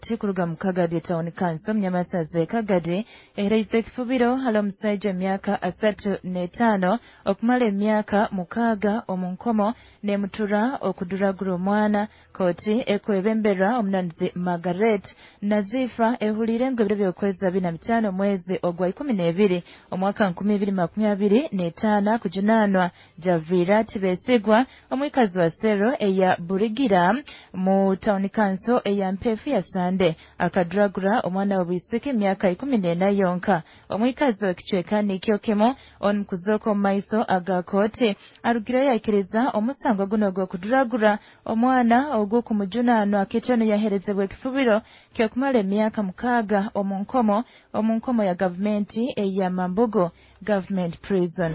Kuruga mu Kagadi Town Council, Munyamasaza Kagadi eheraize ekifubiro hali omusaija emyaka 35 okumara emyaka 6 omu nkomo nemutura okuduragura omwana. Kooti ekwebemberwa omunanuzi Margaret Nazifa ehuliire ngu ebiro by'okwezi 25 omwezi ogwa 12 omwaka 2025 kujunaanwa Javira Tibesigwa, omwikazi wa Sero eya Burigira mu Town Council eya Mpefu ya Sande, akaduragura omwana w'obwisiki emyaka 14 yonka. Omwikazi w'ekicweka nikyo kimu onu kuzooka omu maiso aga kooti arugireyo yaikiriza omusango guno ogw'okuduragura omwana ogw'okumujunaanwa, kityo yaherezebwa ekifubiro ky'okumara emyaka 6 omu nkomo ya gavumenti eya Mambugu Government Prison.